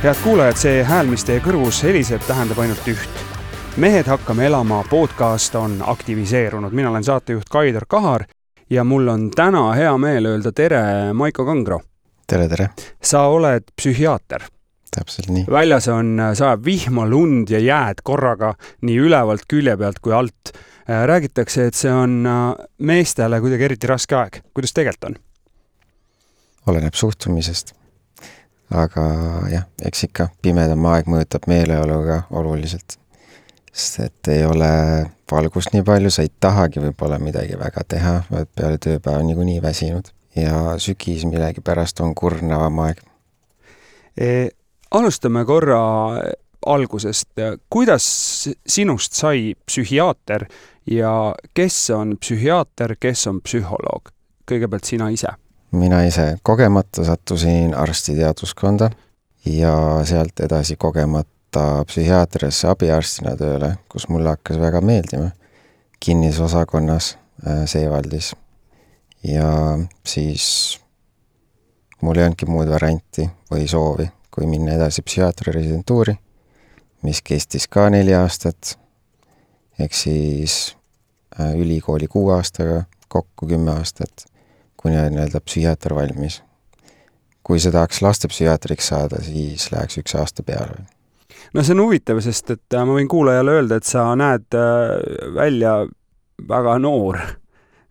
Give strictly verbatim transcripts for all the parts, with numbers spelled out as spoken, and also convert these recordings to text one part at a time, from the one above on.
Head kuulajad, see hääl, mis teie kõrvus heliseb, tähendab ainult üht. Mehed hakkame elama podcast on aktiviseerunud. Mina olen saatejuht Kaidar Kahar ja mul on täna hea meel öelda tere Maiko Kangro. Tere, tere. Sa oled psühhiaater. Täpselt nii. Väljas on saab vihma, lund ja jääd korraga nii ülevalt külje pealt kui alt. Räägitakse, et see on meestele kuidagi eriti raske aeg. Kuidas tegelikult on? Oleneb suhtumisest. Aga jah, eks ikka pimedam aeg mõjutab meeleoluga oluliselt. Sest et ei ole valgust nii palju, sa ei tahagi võib-olla midagi väga teha, vaid peale tööpäeva niikuinii väsinud. Ja sügis millegi pärast on kurnavam aeg. E, alustame korra algusest. Kuidas sinust sai psühhiaater ja kes on psühhiaater, kes on psühholoog? Kõigepealt sina ise. Mina ise kogemata sattusin arstiteaduskonda ja sealt edasi kogemata psühhiaatriasse abiarstina tööle, kus mulle hakkas väga meeldima kinnisosakonnas Seevaldis. Ja siis mul ei olnudki muud varianti või soovi, kui minna edasi psühhiaatri residentuuri, mis kestis ka neli aastat, ehk siis ülikooli kuu aastaga, kokku kümme aastat. Kuni on nii-öelda psühhiaater valmis. Kui see tahaks lastepsühhiaatriks saada, siis läheks üks aasta peale. No see on huvitav, sest et ma võin kuulajale öelda, et sa näed välja väga noor.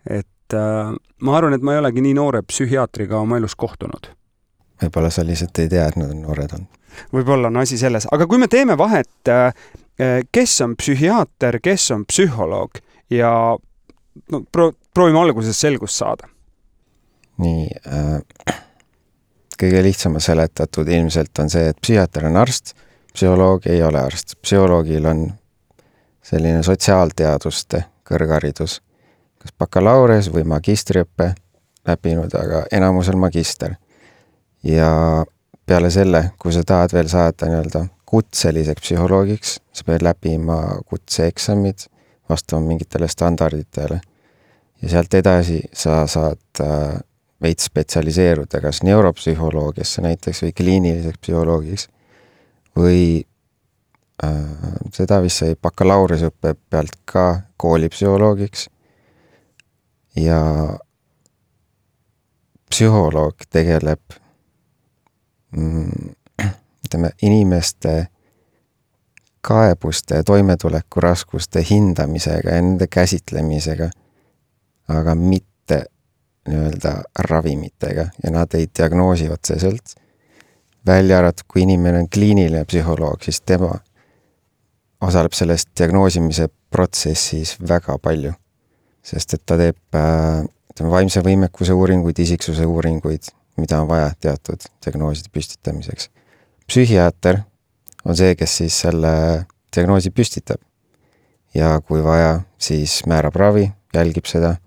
Et ma arvan, et ma ei olegi nii noore psühhiaatriga oma elus kohtunud. Võib-olla sa lihtsalt ei tea, et nad on noored on. Võib-olla on asi selles. Aga kui me teeme vahet, kes on psühhiaater, kes on psühholoog ja no, pro- proovime alguses selgust saada. Nii, äh, kõige lihtsama seletatud ilmselt on see, et psühhiaater on arst, psühholoog ei ole arst. Psühholoogil on selline sotsiaalteaduste kõrgharidus, kas bakalaures või magistriõppe läbinud, aga enamusel magister. Ja peale selle, kui sa tahad veel saada nii-öelda kutseliseks psühholoogiks, sa pead läbima kutseeksamid vastama mingitele standarditele. Ja sealt edasi sa saad äh, veits spetsialiseeruda kas neuropsühholoogiasse näiteks või kliiniliseks psühholoogiks või äh, seda vist sai bakalaureusõppe pealt ka koolipsühholoogiks. Ja psühholoog tegeleb mm, ütleme, inimeste kaebuste ja toimetuleku raskuste hindamisega ja nende käsitlemisega, aga mitte nii-öelda ravimitega ja nad ei diagnoosi otseselt. Välja arvatud, kui inimene on kliiniline psühholoog, siis tema osaleb sellest diagnoosimise protsessis väga palju, sest et ta teeb äh, vaimse võimekuse uuringuid, isiksuse uuringuid, mida on vaja teatud diagnooside püstitamiseks. Psühhiaater on see, kes siis selle diagnoosi püstitab ja kui vaja, siis määrab ravi, jälgib seda,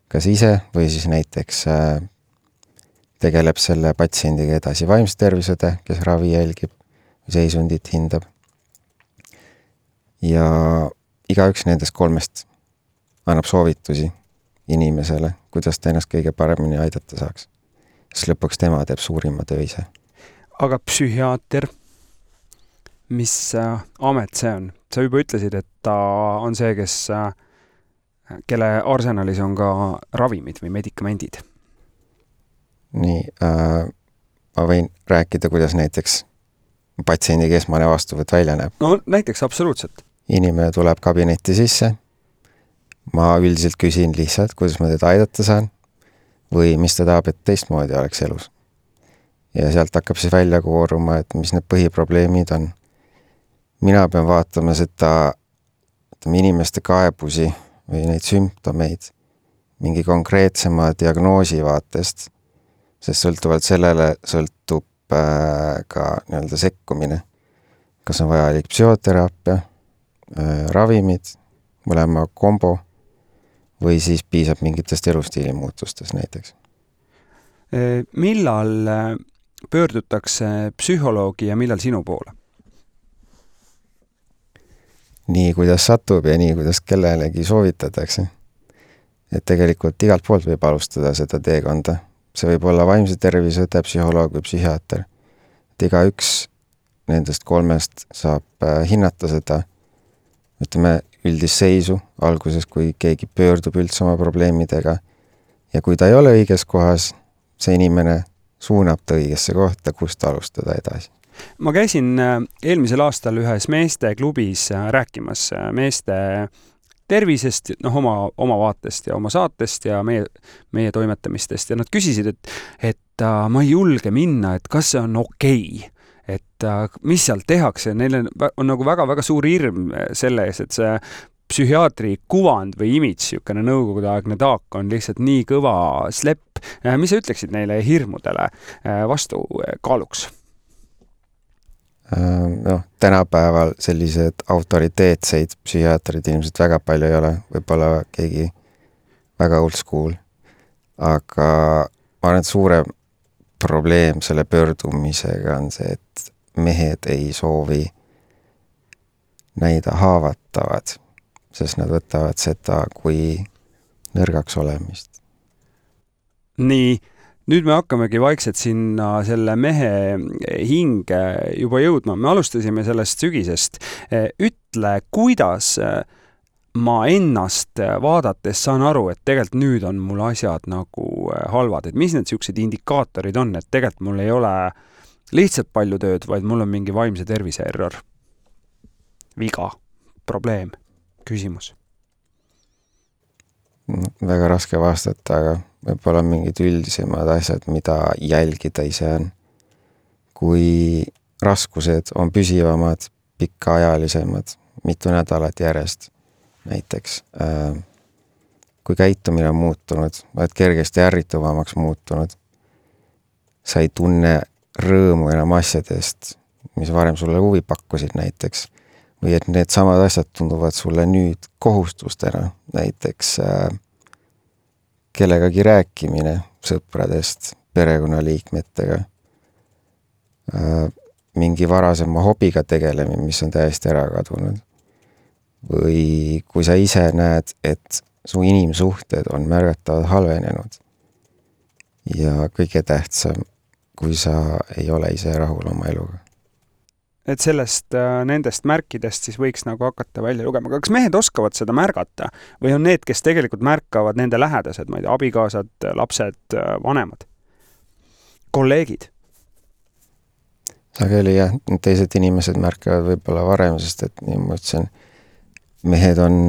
kas ise või siis näiteks äh, tegeleb selle patsiendiga edasi vaimse tervisede, kes ravi jälgib, seisundit hindab. Ja igaüks nendest kolmest annab soovitusi inimesele, kuidas ta ennast kõige paremini aidata saaks. Siis lõpuks tema teeb suurima töö ise. Aga psühhiaater, mis äh, amet see on? Sa juba ütlesid, et ta on see, kes äh, kelle arsenalis on ka ravimid või medikamendid? Nii, äh, ma võin rääkida, kuidas näiteks patsiendi keskmane vastuvõtt välja näeb. No näiteks absoluutselt. Inimene tuleb kabinetti sisse, ma üldiselt küsin lihtsalt, kuidas ma teda aidata saan või mis ta tahab, et teistmoodi oleks elus. Ja sealt hakkab siis välja kooruma, et mis need põhiprobleemid on. Mina pean vaatama seda inimeste kaebusi või neid sümptomeid mingi konkreetsema diagnoosi vaatest, sest sõltuvalt sellele sõltub äh, ka nii-öelda sekkumine. Kas on vajalik psühhoteraapia, äh, ravimid, mõlema kombo või siis piisab mingitest elustiili muutustest näiteks. Millal pöördutakse psühholoogi ja millal sinu poole? Nii, kuidas satub ja nii, kuidas kellelegi soovitatakse. Et tegelikult igalt poolt võib alustada seda teekonda. See võib olla vaimse tervise õde, psühholoog või psühhiaater. Et iga üks nendest kolmest saab hinnata seda, ütleme, üldist seisu alguses, kui keegi pöördub üldse oma probleemidega ja kui ta ei ole õiges kohas, see inimene suunab ta õigesse kohta, kust alustada edasi. Ma käisin eelmisel aastal ühes meeste klubis rääkimas meeste tervisest, noh, oma, oma vaatest ja oma saatest ja meie, meie toimetamistest ja nad küsisid, et, et uh, ma ei julge minna, et kas see on okei, et uh, mis seal tehakse. Neil on nagu väga-väga suur hirm selle ees, et see psühhiaatri kuvand või imidž, jukene nõukogudeaegne taak on lihtsalt nii kõva slepp. Mis sa ütleksid neile hirmudele vastu kaaluks? Noh, tänapäeval sellised autoriteetseid psühhiaatrid ilmselt väga palju ei ole, võib-olla keegi väga old school, aga ma arvan, et suurem probleem selle pöördumisega on see, et mehed ei soovi näida haavatavad, sest nad võtavad seda kui nõrgaks olemist. Nii, nüüd me hakkamegi vaikselt sinna selle mehe hinge juba jõudma. Me alustasime sellest sügisest. Ütle, kuidas ma ennast vaadates saan aru, et tegelikult nüüd on mul asjad nagu halvad. Et mis need siuksed indikaatorid on, et tegelikult mul ei ole lihtsalt palju tööd, vaid mul on mingi vaimse tervise error, viga, probleem, küsimus? Väga raske vastata, aga võib-olla mingid üldisemad asjad, mida jälgida ise on. Kui raskused on püsivamad, pikkaajalisemad, mitu nädalat järjest näiteks. Kui käitumine on muutunud, oled kergesti ärrituvamaks muutunud, sa ei tunne rõõmu enam asjadest, mis varem sulle huvi pakkusid näiteks, või et need samad asjad tunduvad sulle nüüd kohustustena, näiteks kellegagi rääkimine sõpradest, perekonnaliikmetega, mingi varasema hobiga tegelemine, mis on täiesti ära kadunud. Või kui sa ise näed, et su inimsuhted on märgatavad halvenenud ja kõige tähtsam, kui sa ei ole ise rahul oma eluga. Et sellest nendest märkidest siis võiks nagu hakata välja lugema. Kas mehed oskavad seda märgata või on need, kes tegelikult märkavad nende lähedased, ma ei tea, abikaasad, lapsed, vanemad, kolleegid? Sageli jah, teised inimesed märkavad võib-olla varem, sest et nii ma ütlesin, mehed on,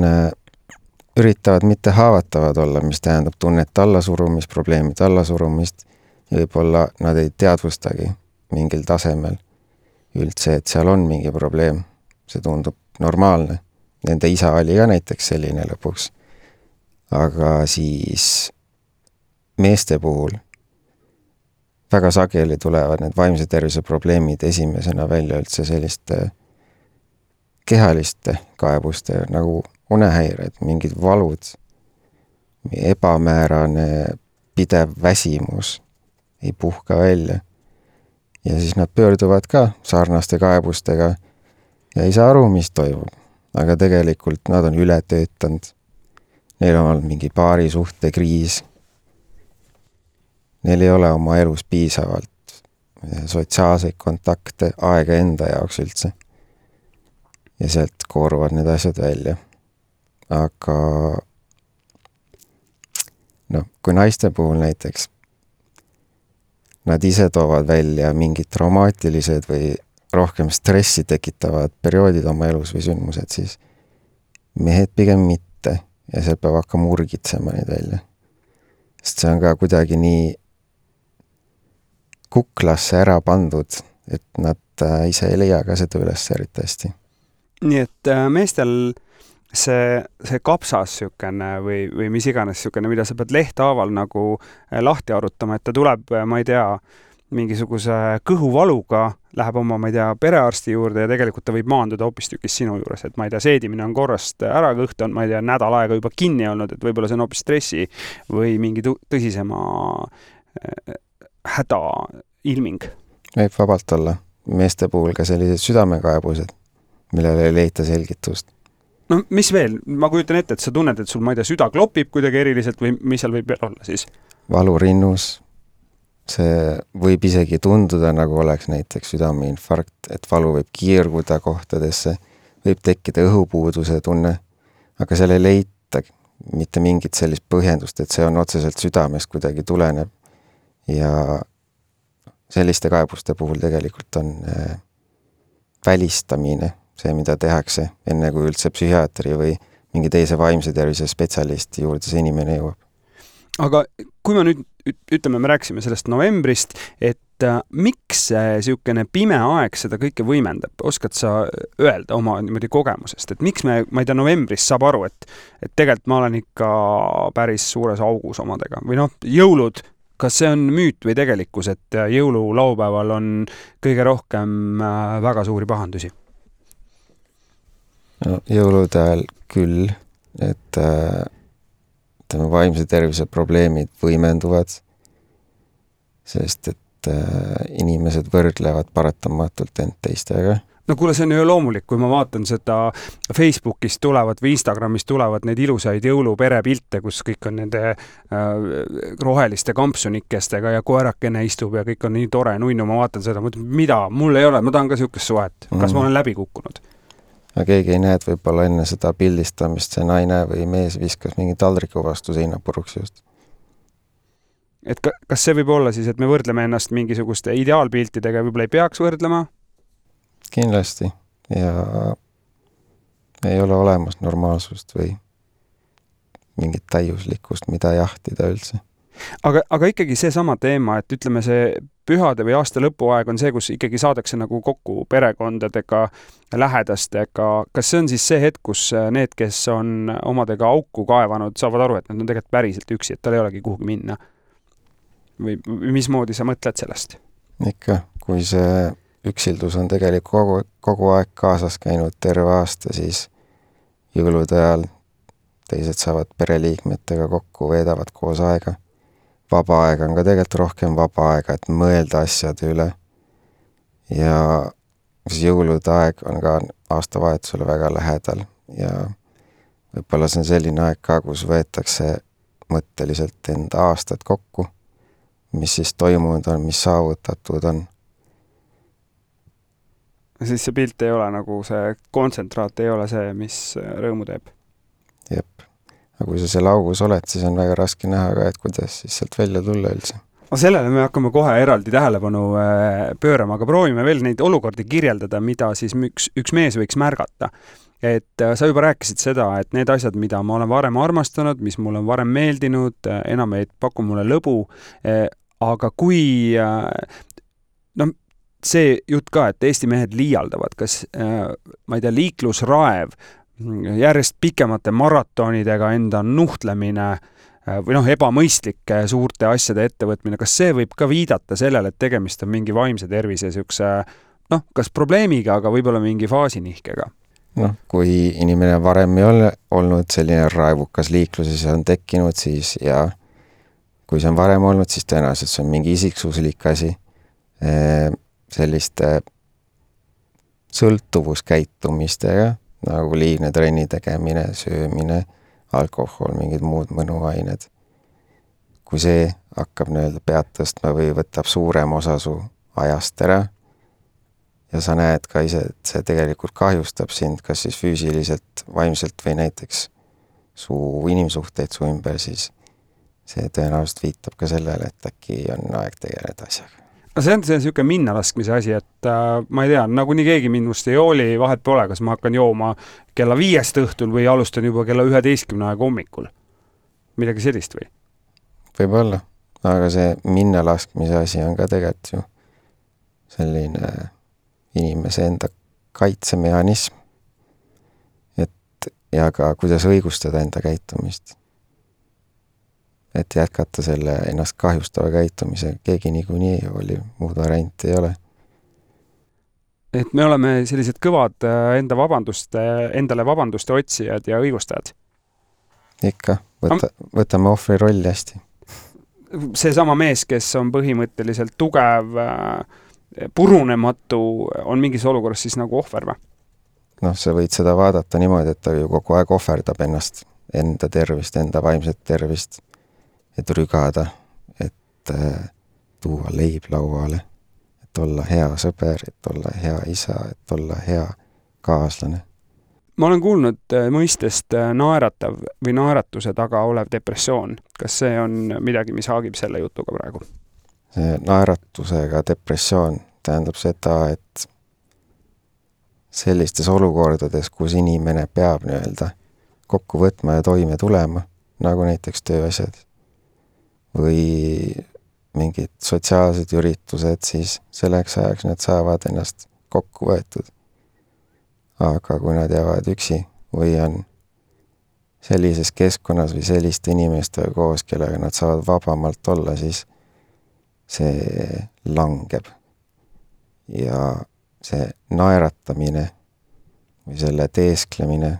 üritavad mitte haavatavad olla, mis tähendab tunnet allasurumist, probleemid allasurumist ja võib-olla nad ei teadvustagi mingil tasemel üldse, et seal on mingi probleem. See tundub normaalne. Nende isa oli ka näiteks selline lõpuks. Aga siis meeste puhul väga sageli tulevad need vaimse tervise probleemid esimesena välja üldse selliste kehaliste kaebuste nagu unehäired, mingid valud, ebamäärane pidev väsimus ei puhka välja. Ja siis nad pöörduvad ka sarnaste kaebustega ja ei saa aru, mis toimub. Aga tegelikult nad on üle töötanud. Neil on olnud mingi paari suhte kriis. Neil ei ole oma elus piisavalt sotsiaalseid kontakte, aega enda jaoks üldse. Ja sealt kooruvad need asjad välja. Aga no, kui naiste puhul näiteks nad ise toovad välja mingid traumaatilised või rohkem stressi tekitavad perioodid oma elus või sündmused, siis mehed pigem mitte ja seal peab hakkama urgitsema neid välja. Sest see on ka kuidagi nii kuklasse ära pandud, et nad ise ei leia ka seda üles eriti hästi. Nii et meestel see, see kapsas sükene või, või mis iganes sükene, mida sa pead lehthaaval nagu lahti arutama, et ta tuleb, ma ei tea, mingisuguse kõhuvaluga, läheb oma, ma ei tea, perearsti juurde ja tegelikult ta võib maanduda hoopistükis sinu juures, et ma ei tea, seedimine on korrast ära, kõht on, ma ei tea, nädal aega juba kinni olnud, et võib-olla see on hoopis stressi või mingi tõsisema häda ilming. Võib vabalt olla meeste puhul ka sellised südamekaebused, millele ei leita selgitust. No mis veel? Ma kujutan ette, et sa tunned, et sul, ma ei tea, süda klopib kuidagi eriliselt või mis seal võib veel olla siis? Valurinnus, see võib isegi tunduda, nagu oleks näiteks südameinfarkt, et valu võib kiirguda kohtadesse, võib tekkida õhupuuduse tunne, aga seal ei leita mitte mingit sellist põhjendust, et see on otseselt südamest kuidagi tuleneb. Ja selliste kaebuste puhul tegelikult on äh, välistamine, see, mida tehakse enne kui üldse psühhiaatri või mingi teise vaimse tervise spetsialisti juurde see inimene jõuab. Aga kui me nüüd ütleme, me rääksime sellest novembrist, et äh, miks see siukene pime aeg seda kõike võimendab? Oskad sa öelda oma niimoodi kogemusest, et miks me, ma ei tea, novembris saab aru, et, et tegelikult ma olen ikka päris suures augus omadega või noh, jõulud, kas see on müüt või tegelikkus, et jõululaupäeval on kõige rohkem äh, väga suuri pahandusi? No, jõulude ajal küll, et äh... tema vaimse tervise probleemid võimenduvad, sest et äh, inimesed võrdlevad paratamatult end teistega. No kuule, see on ju loomulik, kui ma vaatan seda Facebookist tulevad või Instagramist tulevad neid ilusaid jõuluperepilte, kus kõik on nende äh, roheliste kampsunikestega ja koerakene istub ja kõik on nii tore nunnu, ma vaatan seda, mõtlen, mida, mul ei ole, ma tahan ka siukest suhet, kas mm. ma olen läbi kukkunud? Aga keegi ei näe, et võib-olla enne seda pildistamist see naine või mees viskas mingi taldriku vastu seina puruks just. Et ka, kas see võib olla siis, et me võrdleme ennast mingisuguste ideaalpiltidega, võib-olla ei peaks võrdlema? Kindlasti. Ja ei ole olemas normaalsust või mingit täiuslikkust, mida jahtida üldse. Aga, aga ikkagi see sama teema, et ütleme see pühade või aasta lõpuaeg on see, kus ikkagi saadakse nagu kokku perekondadega, lähedastega. Kas see on siis see hetk, kus need, kes on omadega auku kaevanud, saavad aru, et nad on tegelikult päriselt üksi, et tal ei olegi kuhugi minna? Või mismoodi sa mõtled sellest? Ikka, kui see üksildus on tegelikult kogu, kogu aeg kaasas käinud terve aasta, siis jõulude ajal teised saavad pereliikmetega kokku, veedavad koos aega. Vaba aega on ka tegelikult rohkem vaba aega, et mõelda asjade üle. Ja jõulude aeg on ka aastavahetusele väga lähedal ja võib-olla see on selline aeg ka, kus võetakse mõtteliselt enda aastad kokku, mis siis toimunud on, mis saavutatud on. Siis see pilt ei ole nagu see kontsentraat, ei ole see, mis rõõmu teeb. Jep. Aga kui sa seal augus oled, siis on väga raske näha ka, et kuidas siis sealt välja tulla üldse. Sellele me hakkame kohe eraldi tähelepanu pöörama, aga proovime veel neid olukordi kirjeldada, mida siis üks, üks mees võiks märgata. Et sa juba rääkisid seda, et need asjad, mida ma olen varem armastanud, mis mulle on varem meeldinud, enam ei paku mulle lõbu, aga kui no, see jutt ka, et Eesti mehed liialdavad, kas ma ei tea, liiklusraev, järjest pikemate maratonidega enda nuhtlemine või noh, ebamõistlike suurte asjade ettevõtmine, kas see võib ka viidata sellele, et tegemist on mingi vaimse tervise siukse, noh, kas probleemiga, aga võib-olla mingi faasinihkega? Noh, kui inimene varem ei ole olnud selline raevukas liikluses on tekkinud, siis ja kui see on varem olnud, siis tõenäoliselt see on mingi isiksuslik asi. Selliste sõltuvuskäitumistega, nagu liigne trenni tegemine, söömine, alkohol, mingid muud mõnuained. Kui see hakkab nii-öelda pead tõstma või võtab suurem osa su ajast ära ja sa näed ka ise, et see tegelikult kahjustab sind, kas siis füüsiliselt, vaimselt või näiteks su inimsuhteid su ümber, siis see tõenäoliselt viitab ka sellele, et äkki on aeg tegeleda asjaga. No see on see siuke minna laskmise asi, et äh, ma ei tea, nagu nii keegi minust ei jooli, vahet pole, kas ma hakkan jooma kella viiest õhtul või alustan juba kella üheteistkümne aega hommikul. Midagi sellist või? Võib-olla, aga see minna laskmise asi on ka tegelikult ju selline inimese enda kaitsemehhanism. Et, ja ka kuidas õigustada enda käitumist. Et jätkata selle ennast kahjustava käitumise, keegi niikuinii oli, muud varianti ei ole. Et me oleme sellised kõvad enda vabanduste, endale vabanduste otsijad ja õigustajad. Ikka, võta, võtame ohvri rolli hästi. See sama mees, kes on põhimõtteliselt tugev, purunematu, on mingis olukorras siis nagu ohver või? Noh, sa võid seda vaadata niimoodi, et ta ju kogu aeg ohverdab ennast, enda tervist, enda vaimset tervist. Et rügada, et tuua leib lauale, et olla hea sõber, et olla hea isa, et olla hea kaaslane. Ma olen kuulnud mõistest naeratav või naeratuse taga olev depressioon. Kas see on midagi, mis haagib selle jutuga praegu? See naeratusega depressioon tähendab seda, et sellistes olukordades, kus inimene peab nii-öelda kokku võtma ja toime tulema, nagu näiteks tööasjad või mingid sotsiaalsed üritused, siis selleks ajaks nad saavad ennast kokku võetud. Aga kui nad jäävad üksi või on sellises keskkonnas või selliste inimestega koos, kellega nad saavad vabamalt olla, siis see langeb. Ja see naeratamine või selle teesklemine,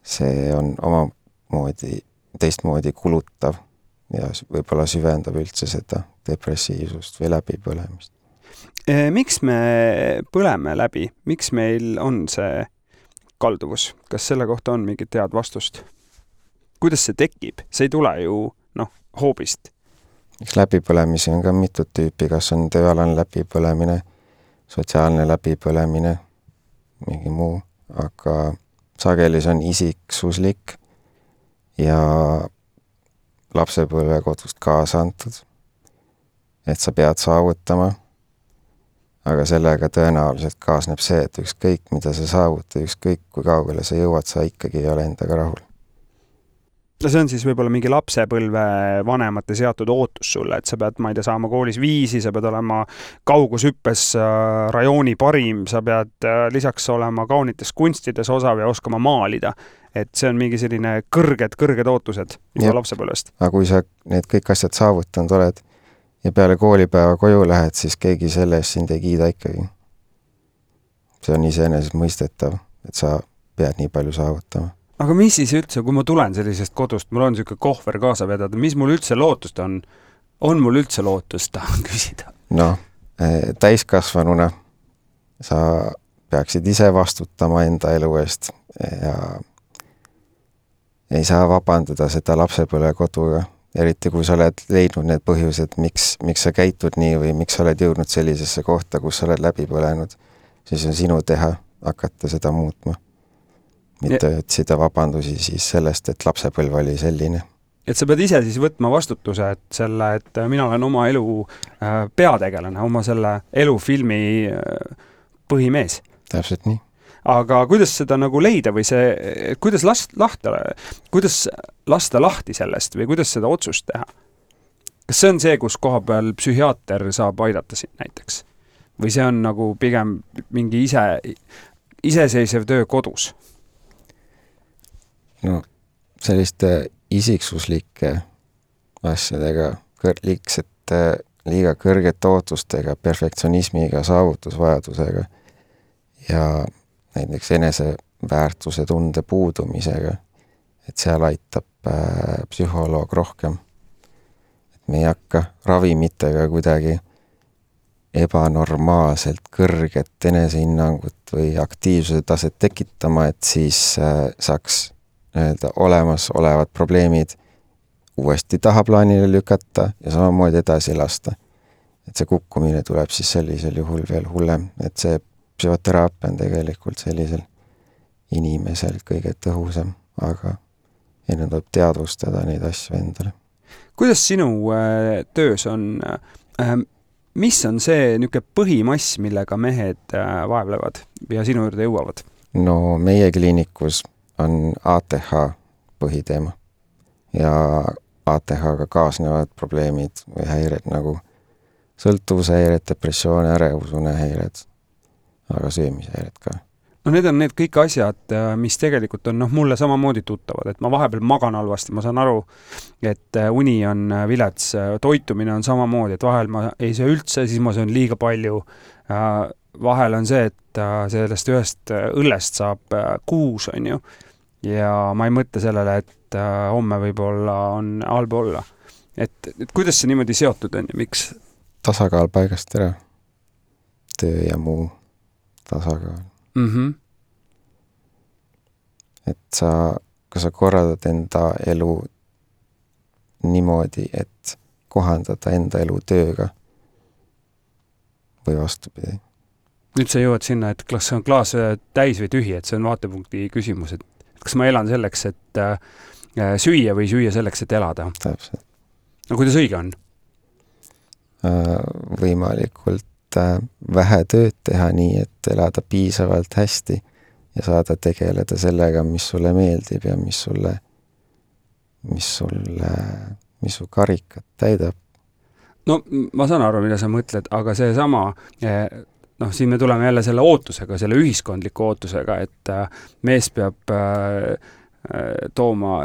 see on omamoodi, teistmoodi kulutav ja võib-olla süvendab üldse seda depressiivsust või läbipõlemist. Miks me põleme läbi? Miks meil on see kalduvus? Kas selle kohta on mingit head vastust? Kuidas see tekib? See ei tule ju noh, hoobist. Eks läbipõlemisi on ka mitut tüüpi, kas on tööalane läbipõlemine, sotsiaalne läbipõlemine, mingi muu, aga sageli see on isiksuslik ja lapsepõlve kodust kaasa antud, et sa pead saavutama, aga sellega tõenäoliselt kaasneb see, et ükskõik, mida sa saavuta, ükskõik, kui kaugele sa jõuad, sa ikkagi ei ole endaga rahul. Ja see on siis võib-olla mingi lapsepõlve vanemate seatud ootus sulle, et sa pead, ma ei tea, saama koolis viisi, sa pead olema kaugusüppes rajooni parim, sa pead lisaks olema kaunites kunstides osav ja oskama maalida. Et see on mingi selline kõrged, kõrged ootused juba lapsepõlvest. Aga kui sa need kõik asjad saavutanud oled ja peale koolipäeva koju lähed, siis keegi selle eest sind ei kiida ikkagi. See on iseenesest mõistetav, et sa pead nii palju saavutama. Aga mis siis üldse, kui ma tulen sellisest kodust, mul on selline kohver kaasa vedada, mis mul üldse lootust on? On mul üldse lootust, tahan küsida? No, täiskasvanuna sa peaksid ise vastutama enda elu eest ja ei saa vabandada seda lapsepõlve koduga, eriti kui sa oled leidnud need põhjused, miks, miks sa käitud nii või miks sa oled jõudnud sellisesse kohta, kus sa oled läbi põlenud, siis on sinu teha hakata seda muutma. Mitte ja otsida vabandusi siis sellest, et lapsepõlv oli selline. Et sa pead ise siis võtma vastutuse, et selle, et mina olen oma elu peategelane, oma selle elufilmi põhimees. Täpselt nii. Aga kuidas seda nagu leida või see, kuidas last, lahta, kuidas lasta lahti sellest või kuidas seda otsust teha? Kas see on see, kus koha peal psühhiaater saab aidata siin näiteks? Või see on nagu pigem mingi ise, iseseisev töö kodus? No, selliste isiksuslike asjadega, liigsete, liiga kõrgete ootustega, perfektsionismiga, saavutusvajadusega ja näiteks eneseväärtuse tunde puudumisega, et seal aitab äh, psühholoog rohkem. Et me ei hakka ravimitega kuidagi ebanormaalselt kõrget enesehinnangut või aktiivsuse taset tekitama, et siis äh, saaks öelda, olemas olevad probleemid uuesti tahaplaanile lükata ja samamoodi edasi lasta. Et see kukkumine tuleb siis sellisel juhul veel hullem, et see psühhoteraapia on tegelikult sellisel inimesel kõige tõhusam, aga enne tuleb teadvustada neid asju endale. Kuidas sinu äh, töös on, äh, mis on see niisugune põhimass, millega mehed äh, vaevlevad ja sinu juurde jõuavad? No meie kliinikus on A T H põhiteema ja A T H-ga kaasnevad probleemid või häired nagu sõltuvushäired, depressioon, ärevusune häired, aga söömishäired ka. No need on need kõik asjad, mis tegelikult on no, mulle samamoodi tuttavad, et ma vahepeal magan halvasti, ma saan aru, et uni on vilets, toitumine on samamoodi, et vahel ma ei söö üldse, siis ma söön liiga palju. Vahel on see, et sellest ühest õllest saab kuus, on ju, ja ma ei mõtle sellele, et homme võib-olla on halb olla. Et, et kuidas see niimoodi seotud on ja miks? Tasakaal paigast ära. Töö ja muu tasakaal. Mm-hmm. Et sa, kui sa korraldad enda elu niimoodi, et kohandada enda elu tööga või vastupidi. Nüüd sa jõuad sinna, et kas on klaas täis või tühi, et see on vaatepunkti küsimus, et kas ma elan selleks, et äh, süüa või süüa selleks, et elada? Täpselt. No kuidas õige on? Äh, võimalikult äh, vähe tööd teha nii, et elada piisavalt hästi ja saada tegeleda sellega, mis sulle meeldib ja mis sulle, mis sulle, mis su karikat täidab. No ma saan aru, mida sa mõtled, aga see sama, noh, siin me tuleme jälle selle ootusega, selle ühiskondliku ootusega, et mees peab tooma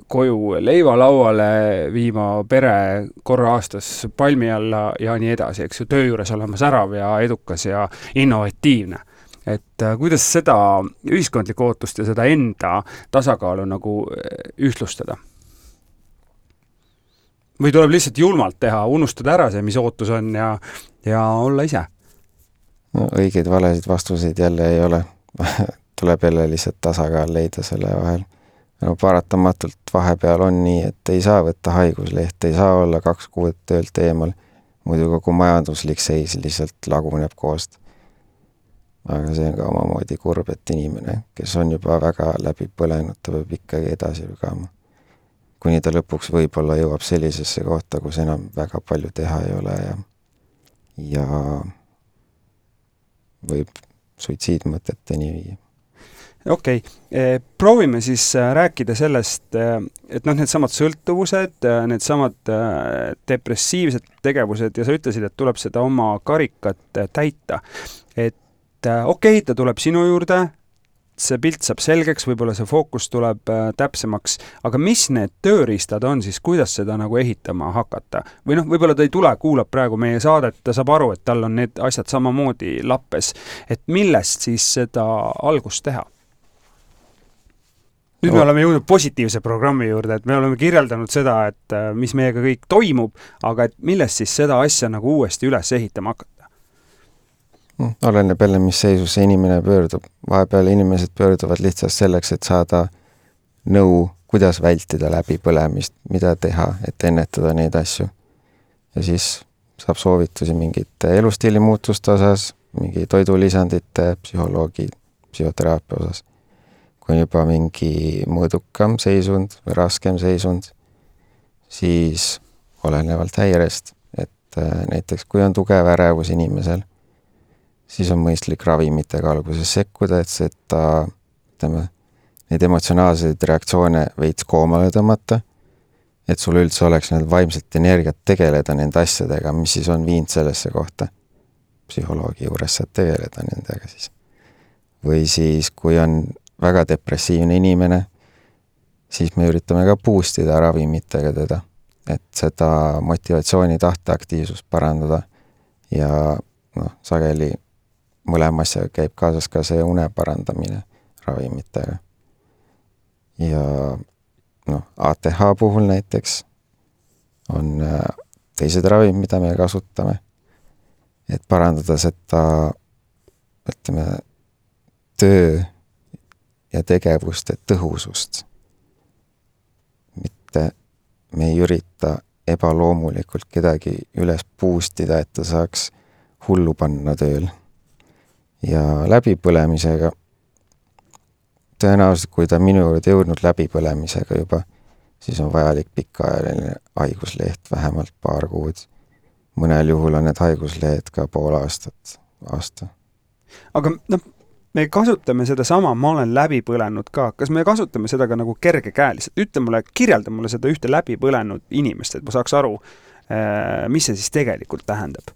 koju leivalauale, viima pere korra aastas palmi alla ja nii edasi, eks ju, töö juures olema särav ja edukas ja innovatiivne. Et kuidas seda ühiskondlikku ootust ja seda enda tasakaalu nagu ühtlustada? Või tuleb lihtsalt julmalt teha, unustada ära see, mis ootus on ja, ja olla ise? No, õigeid valesid vastuseid jälle ei ole. Tuleb jälle lihtsalt tasakaal leida selle vahel. No, paratamatult vahepeal on nii, et ei saa võtta haigusleht, ei saa olla kaks kuud töölt eemal. Muidu kogu majanduslik seis lihtsalt laguneb koost. Aga see on ka omamoodi kurb, et inimene, kes on juba väga läbi põlenud, ta peab ikkagi edasi lügama. Kuni ta lõpuks võib-olla jõuab sellisesse kohta, kus enam väga palju teha ei ole ja, ja võib suitsiidmõteteni viia. Okei, okay. Proovime siis rääkida sellest, et noh, need samad sõltuvused, need samad depressiivsed tegevused ja sa ütlesid, et tuleb seda oma karikat täita. Et okei, okay, ta tuleb sinu juurde, see pilt saab selgeks, võib-olla see fookus tuleb äh, täpsemaks, aga mis need tööriistad on siis, kuidas seda nagu ehitama hakata? Või noh, võib-olla ta ei tule, kuulab praegu meie saadet, ta saab aru, et tal on need asjad samamoodi lappes. Et millest siis seda algust teha? Nüüd me oleme jõudnud positiivse programmi juurde, et me oleme kirjeldanud seda, et äh, mis meiega kõik toimub, aga et millest siis seda asja nagu uuesti üles ehitama hakata? Oleneb jälle, mis seisus see inimene pöördub. Vahepeal inimesed pöörduvad lihtsalt selleks, et saada nõu, kuidas vältida läbi põlemist, mida teha, et ennetada neid asju. Ja siis saab soovitusi mingite elustiili muutuste osas, mingi toidulisandite, psühholoogi, psühhoteraapia osas. Kui on juba mingi mõõdukam seisund või raskem seisund, siis olenevalt häirest, et näiteks kui on tugev ärevus inimesel, siis on mõistlik ravimitega alguses sekkuda, et seda, ütleme, neid emotsionaalseid reaktsioone veits koomale tõmmata, et sul üldse oleks need vaimselt energiat tegeleda nende asjadega, mis siis on viinud sellesse kohta. Psühholoogi juures saad tegeleda nendega siis. Või siis, kui on väga depressiivne inimene, siis me üritame ka boostida ravimitega teda, et seda motivatsiooni tahteaktiivsust parandada ja noh, sageli mõlema asjaga käib kaasas ka see une parandamine ravimitega. Ja noh, A T H puhul näiteks on teised ravimid, mida me kasutame, et parandada seda, ütleme, töö ja tegevuste tõhusust. Mitte me ei ürita ebaloomulikult kedagi üles boostida, et ta saaks hullu panna tööl. Ja läbipõlemisega, tõenäoliselt kui ta minu juurde jõudnud läbipõlemisega juba, siis on vajalik pikaajaline haigusleht, vähemalt paar kuud. Mõnel juhul on need haiguslehed ka pool aastat, aasta. Aga noh, me kasutame seda sama, ma olen läbipõlenud ka. Kas me kasutame seda ka nagu kergekäeliselt? Ütle mulle, kirjelda mulle seda ühte läbipõlenud inimest, et ma saaks aru, mis see siis tegelikult tähendab.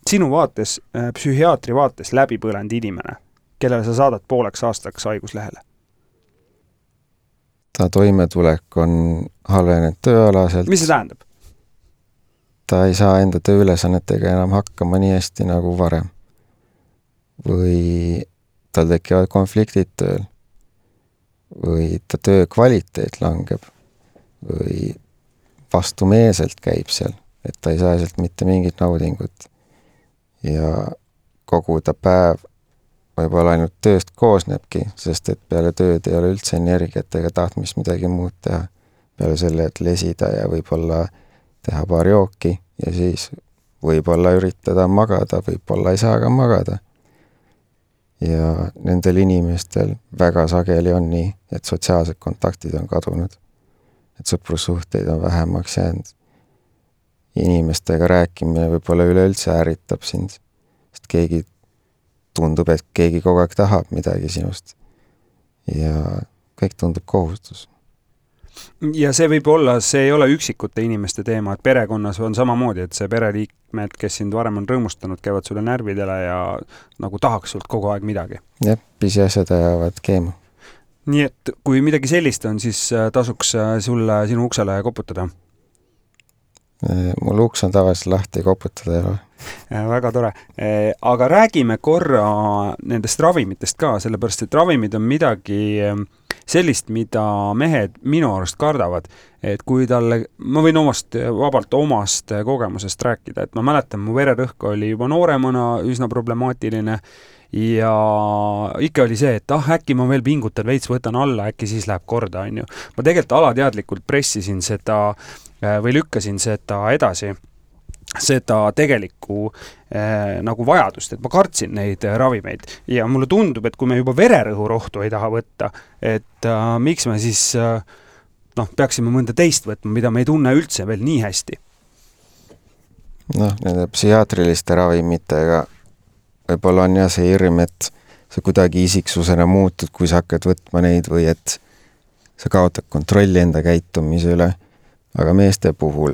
Sinu vaates, psühhiaatri vaates läbipõlenud inimene, kellele sa saadad pooleks aastaks haiguslehele? Ta toimetulek on halvenenud tööalaselt. Mis see tähendab? Ta ei saa enda tööülesannetega enam hakkama nii hästi nagu varem. Või tal tekivad konfliktid tööl. Või ta töö kvaliteet langeb. Või vastumeeselt käib seal, et ta ei saa sealt mitte mingit naudingut. Ja kogu ta päev võib-olla ainult tööst koosnebki, sest et peale tööd ei ole üldse energiat ega tahtmist midagi muud teha. Peale selle, et lesida ja võib-olla teha paar jooki ja siis võib-olla üritada magada, võib-olla ei saa ka magada. Ja nendel inimestel väga sageli on nii, et sotsiaalsed kontaktid on kadunud. Et sõprussuhteid on vähemaks jäänud. Inimestega rääkimine võib-olla üleüldse ärritab sind, sest keegi tundub, et keegi kogu aeg tahab midagi sinust. Ja kõik tundub kohustus. Ja see võib olla, see ei ole üksikute inimeste teema, et perekonnas on samamoodi, et see pereliikmed, kes sind varem on rõõmustanud, käivad sulle närvidele ja nagu tahaks sult kogu aeg midagi. Jah, pisiasjad ajavad keema. Nii et kui midagi sellist on, siis tasuks sulle sinu uksele koputada? Mul uks on tavaliselt lahti koputada ei ole. Väga tore. Aga räägime korra nendest ravimitest ka, sellepärast, et ravimid on midagi sellist, mida mehed minu arust kardavad. Et kui talle, ma võin omast, vabalt omast kogemusest rääkida, et ma mäletan, mu vererõhk oli juba nooremana üsna problemaatiline ja ikka oli see, et ah, äkki ma veel pingutan, veits võtan alla, äkki siis läheb korda, on ju. Ma tegelikult alateadlikult pressisin seda või lükkasin seda edasi, seda tegelikku eh, nagu vajadust, et ma kartsin neid ravimeid ja mulle tundub, et kui me juba vererõhurohtu ei taha võtta, et äh, miks me siis äh, noh, peaksime mõnda teist võtma, mida me ei tunne üldse veel nii hästi. Noh, nende psühhiaatriliste ravimitega võib-olla on ja see hirm, et sa kuidagi isiksusena muutud, kui sa hakkad võtma neid või et sa kaotad kontrolli enda käitumise üle. Aga meeste puhul,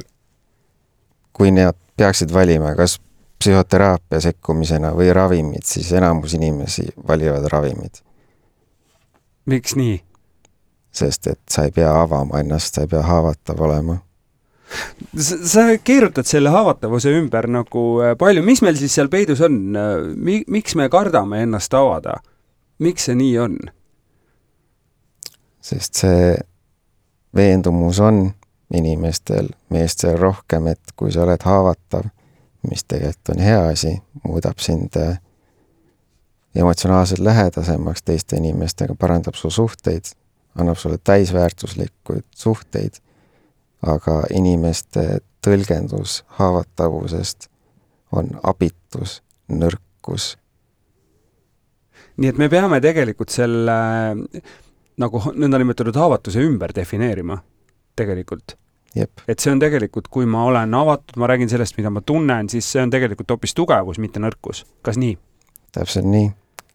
kui need peaksid valima kas psühhoteraapia sekkumisena või ravimid, siis enamus inimesi valivad ravimid. Miks nii? Sest et sa ei pea avama ennast, sa ei pea haavatav olema. Sa, sa keerutad selle haavatavuse ümber nagu palju. Mis meil siis seal peidus on? Miks me kardame ennast avada? Miks see nii on? Sest see veendumus on inimestel, meestel rohkem, et kui sa oled haavatav, mis tegelikult on hea asi, muudab sind emotsionaalselt lähedasemaks teiste inimestega, parandab su suhteid, annab sulle täisväärtuslikud suhteid, aga inimeste tõlgendus haavatavusest on abitus, nõrkus. Nii et me peame tegelikult selle nagu nõnda nimetatud haavatuse ümber defineerima. Tegelikult. Jep. Et see on tegelikult, kui ma olen avatud, ma räägin sellest, mida ma tunnen, siis see on tegelikult hoopis tugevus, mitte nõrkus. Kas nii? Täpselt nii.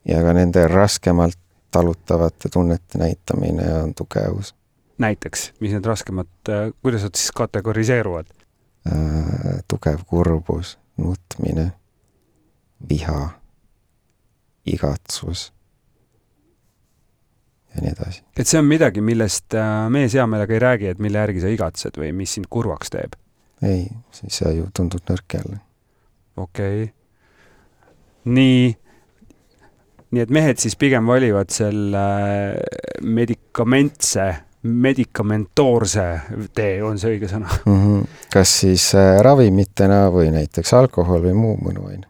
Ja ka nende raskemalt talutavate tunnete näitamine on tugevus. Näiteks, mis need raskemad, kuidas nad siis kategoriseeruvad? Äh, tugev kurbus, nutmine, viha, igatsus ja nii edasi. Et see on midagi, millest mees hea meelega ei räägi, et mille järgi sa igatsed või mis sind kurvaks teeb? Ei, siis sa ju tundud nõrk jälle. Okei. Okay. Nii, nii et mehed siis pigem valivad selle medikamentse, medikamentoorse tee, on see õige sõna? Mm-hmm. Kas siis ravimitena või näiteks alkohol või muu mõnuaine?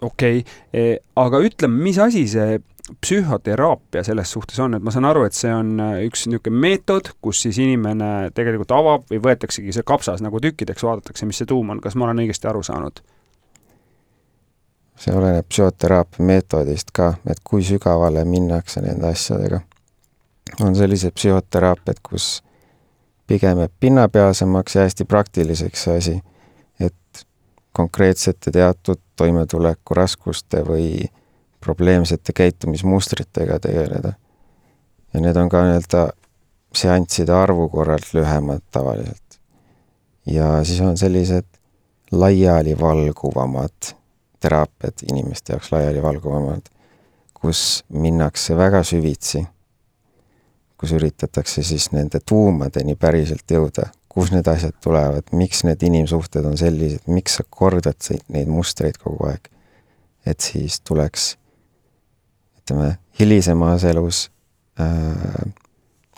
Okei, okay. Aga ütleme, mis asi see psühhoteraapia selles suhtes on, et ma saan aru, et see on üks niisugune meetod, kus siis inimene tegelikult avab või võetaksegi see kapsas nagu tükkideks, vaadatakse, mis see tuum on. Kas ma olen õigesti aru saanud? See oleneb psühhoteraapia meetodist ka, et kui sügavale minnakse nende asjadega. On sellised psühhoteraapiad, kus pigem pinnapealsemaks ja hästi praktiliseks see asi, et konkreetsete teatud toimetuleku raskuste või probleemsete käitumismustritega tegeleda. Ja need on ka nii-öelda seansside arvu korralt lühemad tavaliselt. Ja siis on sellised laiali valguvamad teraapiad, inimeste jaoks laiali valguvamad, kus minnakse väga süvitsi, kus üritatakse siis nende tuumadeni päriselt jõuda, kus need asjad tulevad, miks need inimsuhted on sellised, miks sa kordad neid mustreid kogu aeg, et siis tuleks ütleme, hilisemas elus äh,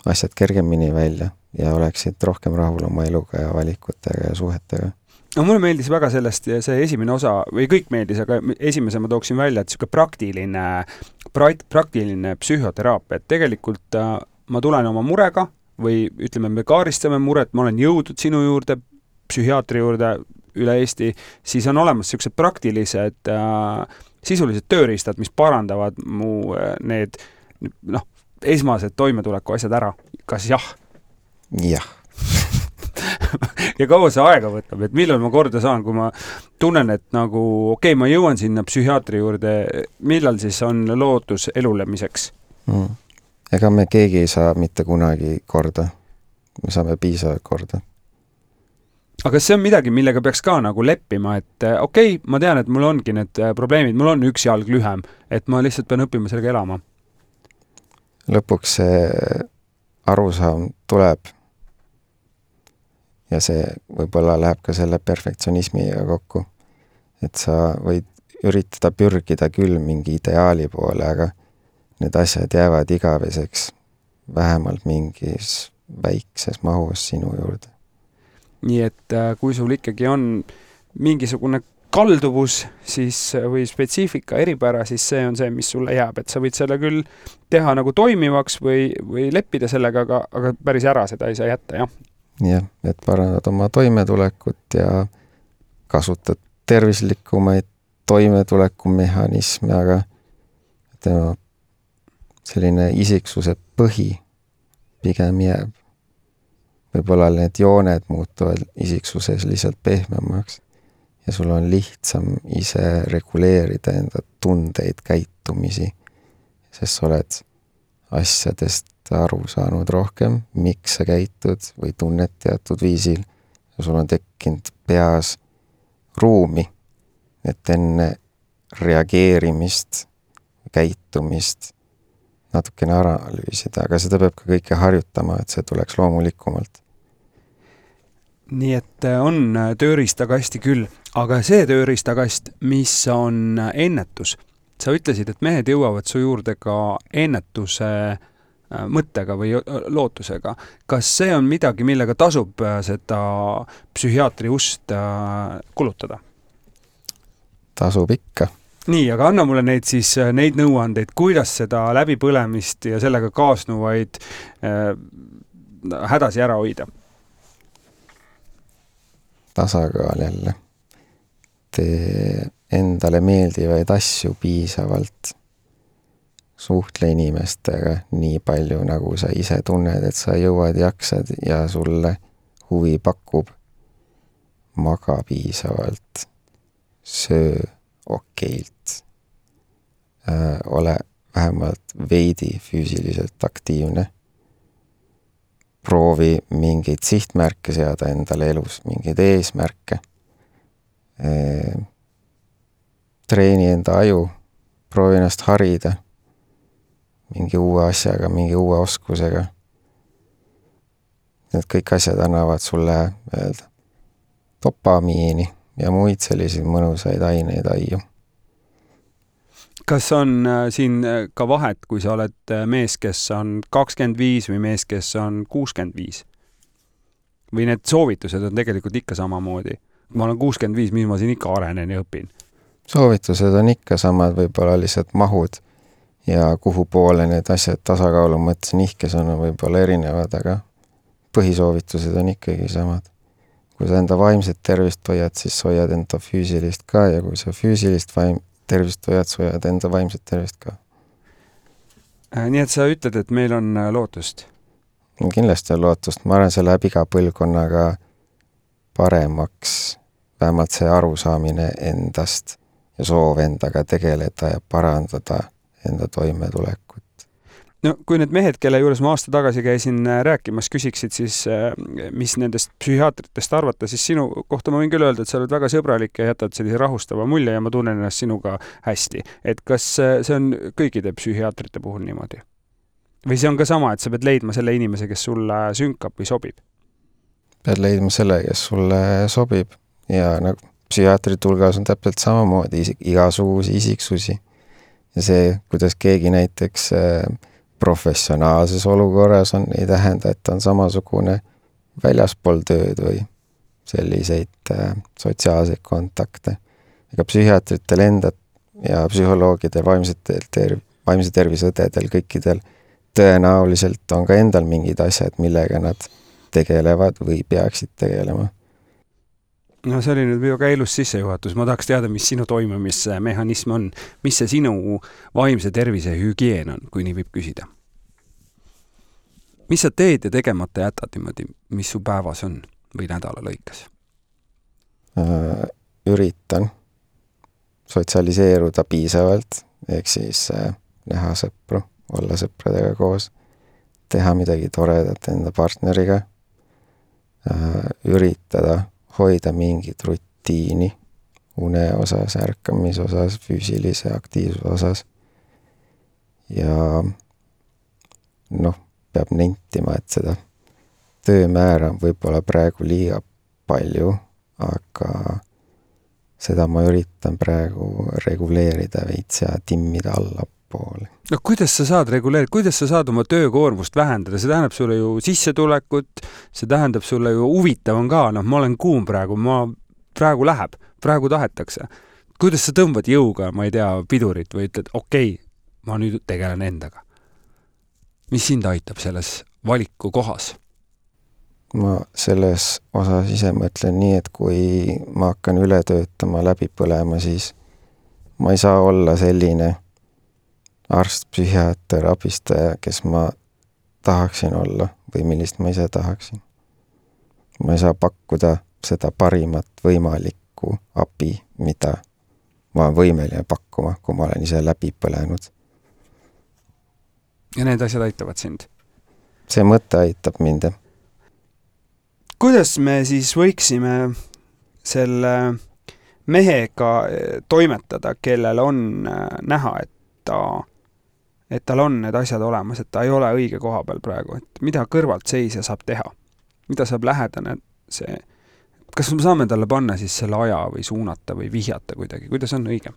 asjad kergemini välja ja oleksid rohkem rahul oma eluga ja valikutega ja suhetega. No, mulle meeldis väga sellest see esimene osa, või kõik meeldis, aga esimese ma tooksin välja, et siuke praktiline, praktiline psühhoteraapia, et tegelikult ma tulen oma murega või ütleme, me kaaristame muret, ma olen jõudnud sinu juurde, psühhiaatri juurde üle Eesti, siis on olemas sellised praktilised äh, sisulised tööriistad, mis parandavad mu äh, need noh, esmased toimetuleku asjad ära. Kas jah? Jah. Ja kaua see aega võtab, et millal ma korda saan, kui ma tunnen, et nagu okei, okay, ma jõuan sinna psühhiaatri juurde, millal siis on lootus elulemiseks? Mm. Ega me keegi ei saa mitte kunagi korda. Me saame piisavalt korda. Aga kas see on midagi, millega peaks ka nagu leppima, et okei, okay, ma tean, et mul ongi need probleemid, mul on üks jalg lühem, et ma lihtsalt pean õppima sellega elama? Lõpuks see arusaam tuleb ja see võib-olla läheb ka selle perfektsionismiga kokku, et sa võid üritada pürgida küll mingi ideaali poole, aga need asjad jäävad igaveseks vähemalt mingis väikses mahus sinu juurde. Nii et kui sul ikkagi on mingisugune kalduvus siis, või spetsiifika eripära, siis see on see, mis sulle jääb, et sa võid selle küll teha nagu toimivaks või, või leppida sellega, aga, aga päris ära seda ei saa jätta, jah? Jah, et parandad oma toimetulekut ja kasutad tervislikumaid toimetulekumehhanisme, aga tema selline isiksuse põhi pigem jääb. Võib-olla need jooned muutuvad isiksuses lihtsalt pehmemaks ja sul on lihtsam ise reguleerida enda tundeid, käitumisi, sest sa oled asjadest aru saanud rohkem, miks sa käitud või tunned teatud viisil ja sul on tekkinud peas ruumi, et enne reageerimist, käitumist natukene analüüsida, aga seda peab ka kõike harjutama, et see tuleks loomulikumalt. Nii et on tööriistakasti küll, aga see tööriistakast, mis on ennetus. Sa ütlesid, et mehed jõuavad su juurde ka ennetuse mõttega või lootusega. Kas see on midagi, millega tasub seda psühhiaatri ust kulutada? Tasub ikka. Nii, aga anna mulle neid siis neid nõuandeid, kuidas seda läbipõlemist ja sellega kaasnuvaid äh, hädasi ära hoida? Tasakaal jälle. Tee endale meeldivaid asju piisavalt. Suhtle inimestega nii palju, nagu sa ise tunned, et sa jõuad, jaksad ja sulle huvi pakub. Maga piisavalt. Söö okeilt. Äh, ole vähemalt veidi füüsiliselt aktiivne. Proovi mingeid sihtmärke seada endale elus, mingeid eesmärke. Äh, treeni enda aju, proovi ennast harida. Mingi uue asjaga, mingi uue oskusega. Need kõik asjad annavad sulle öelda, dopamiini ja muid selliseid mõnusaid aineid aiu. Kas on siin ka vahet, kui sa oled mees, kes on kakskümmend viis või mees, kes on kuuskümmend viis? Või need soovitused on tegelikult ikka samamoodi? Ma olen kuuskümmend viis, mis ma siin ikka arenen ja õpin? Soovitused on ikka samad, võib-olla lihtsalt mahud ja kuhu poole need asjad tasakaalu mõttes nihkes on võib-olla erinevad, aga põhisoovitused on ikkagi samad. Kui sa enda vaimset tervist hoiad, siis hoiad enda füüsilist ka ja kui sa füüsilist vaim, tervist hoiad, sa hoiad enda vaimset tervist ka. Nii et sa ütled, et meil on lootust? Kindlasti on lootust. Ma arvan, see läheb iga põlvkonnaga paremaks, vähemalt see arusaamine endast ja soov endaga tegeleda ja parandada enda toimetulekut. No kui need mehed, kelle juures ma aasta tagasi käisin rääkimas, küsiksid siis, mis nendest psühhiaatritest arvata, siis sinu kohta ma võin küll öelda, et sa oled väga sõbralik ja jätad sellise rahustava mulje ja ma tunnen ennast sinuga hästi. Et kas see on kõikide psühhiaatrite puhul niimoodi? Või see on ka sama, et sa pead leidma selle inimese, kes sulle sünkab või sobib? Pead leidma selle, kes sulle sobib ja nagu psühhiaatri tulgas on täpselt samamoodi igasugusi isiksusi. Ja see, kuidas keegi näiteks professionaalses olukorras on, ei tähenda, et on samasugune väljaspool tööd või selliseid sotsiaalseid kontakte. Ega psühhiaatritel endad ja psühholoogidel, vaimse tervisõdedel, kõikidel tõenäoliselt on ka endal mingid asjad, millega nad tegelevad või peaksid tegelema. No see oli nüüd väga ilus sissejuhatus. Ma tahaks teada, mis sinu toimumismehhanism on. Mis see sinu vaimse tervise hügieen on, kui nii võib küsida? Mis sa teed ja tegemata jätad niimoodi, mis su päevas on või nädala lõikes? Üritan sotsialiseeruda piisavalt, ehk siis näha sõpru, olla sõpradega koos, teha midagi toredat enda partneriga, üritada hoida mingit rutiini une osas, ärkamise osas, füüsilise aktiivsuse osas. Ja noh, peab nentima, et seda töömäära võib-olla praegu liiga palju, aga seda ma üritan praegu reguleerida veits ja timmida allapoole. No kuidas sa saad reguleerida, kuidas sa saad oma töökoormust vähendada? See tähendab sulle ju sissetulekut, see tähendab sulle ju huvitav on ka, noh, ma olen kuum praegu, ma praegu läheb, praegu tahetakse. Kuidas sa tõmbad jõuga, ma ei tea, pidurit või ütled, okei, okay, ma nüüd tegelen endaga. Mis sind aitab selles valiku kohas? Ma selles osas ise mõtlen nii, et kui ma hakkan üle töötama, läbi põlema, siis ma ei saa olla selline arst, psühhiaater, abistaja, kes ma tahaksin olla või millist ma ise tahaksin. Ma ei saa pakkuda seda parimat võimalikku abi, mida ma olen võimeline pakkuma, kui ma olen ise läbi põlenud. Ja need asjad aitavad sind? See mõte aitab mind. Kuidas me siis võiksime selle mehega toimetada, kellel on näha, et ta et tal on need asjad olemas, et ta ei ole õige koha peal praegu, et mida kõrvalt seisja saab teha, mida saab lähedane see, kas me saame talle panna siis selle aja või suunata või vihjata kuidagi, kuidas on õige?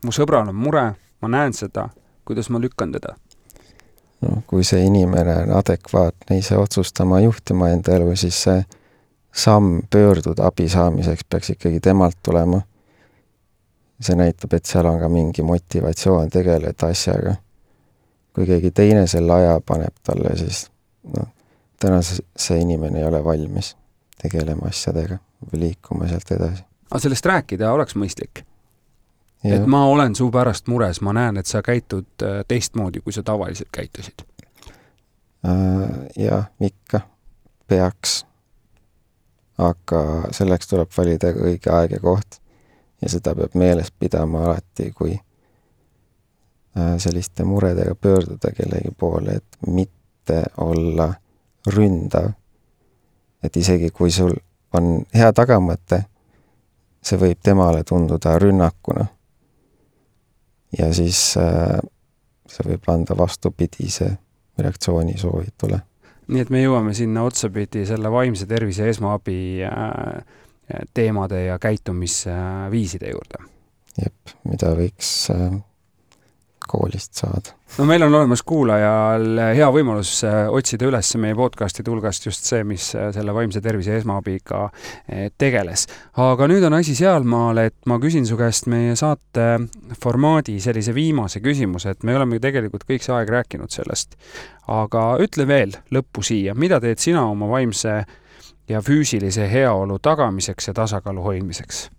Mu sõbral on mure, ma näen seda, kuidas ma lükkan teda? No, kui see inimene on adekvaatne ise otsustama juhtima enda elu, siis see samm pöörduda abi saamiseks peaks ikkagi temalt tulema. See näitab, et seal on ka mingi motivatsioon tegeleda asjaga. Kui keegi teine selle aja paneb talle, siis no, täna see inimene ei ole valmis tegelema asjadega või liikuma sealt edasi. Aga sellest rääkida oleks mõistlik? Ja. Et ma olen su pärast mures, ma näen, et sa käitud teistmoodi, kui sa tavaliselt käitusid. Ja, ikka peaks. Aga selleks tuleb valida õige aeg ja koht. Ja seda peab meeles pidama alati, kui selliste muredega pöörduda kellegi poole, et mitte olla ründav. Et isegi kui sul on hea tagamõte, see võib temale tunduda rünnakuna. Ja siis see võib anda vastupidise reaktsiooni soovitule. Nii et me jõuame sinna otsapidi selle vaimse tervise esmaabi teemade ja käitumisviiside juurde. Jep, mida võiks koolist saada. No meil on olemas kuulajal hea võimalus otsida üles meie podcastide hulgast just see, mis selle vaimse tervise esmaabiga tegeles. Aga nüüd on asi sealmaal, et ma küsin su käest meie saate formaadi sellise viimase küsimuse, et me oleme tegelikult kõik see aeg rääkinud sellest. Aga ütle veel lõppu siia, mida teed sina oma vaimse ja füüsilise heaolu tagamiseks ja tasakaalu hoidmiseks?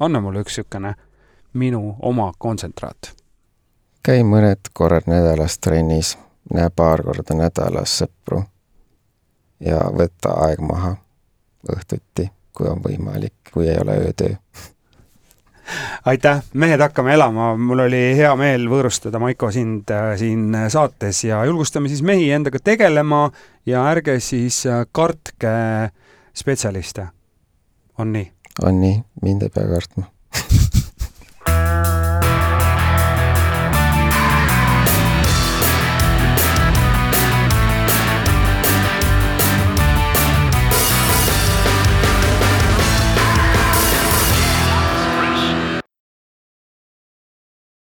Anna mulle üks sükene minu oma kontsentraat. Käi mõned korrad nädalas trennis, näe paar korda nädalas sõpru ja võtta aeg maha õhtuti, kui on võimalik, kui ei ole öötöö. Aitäh, mehed hakkame elama. Mul oli hea meel võõrustada, Maiko, sind siin saates ja julgustame siis mehi endaga tegelema ja ärge siis kartke spetsialiste. On nii? On nii, mind ei pea kartma.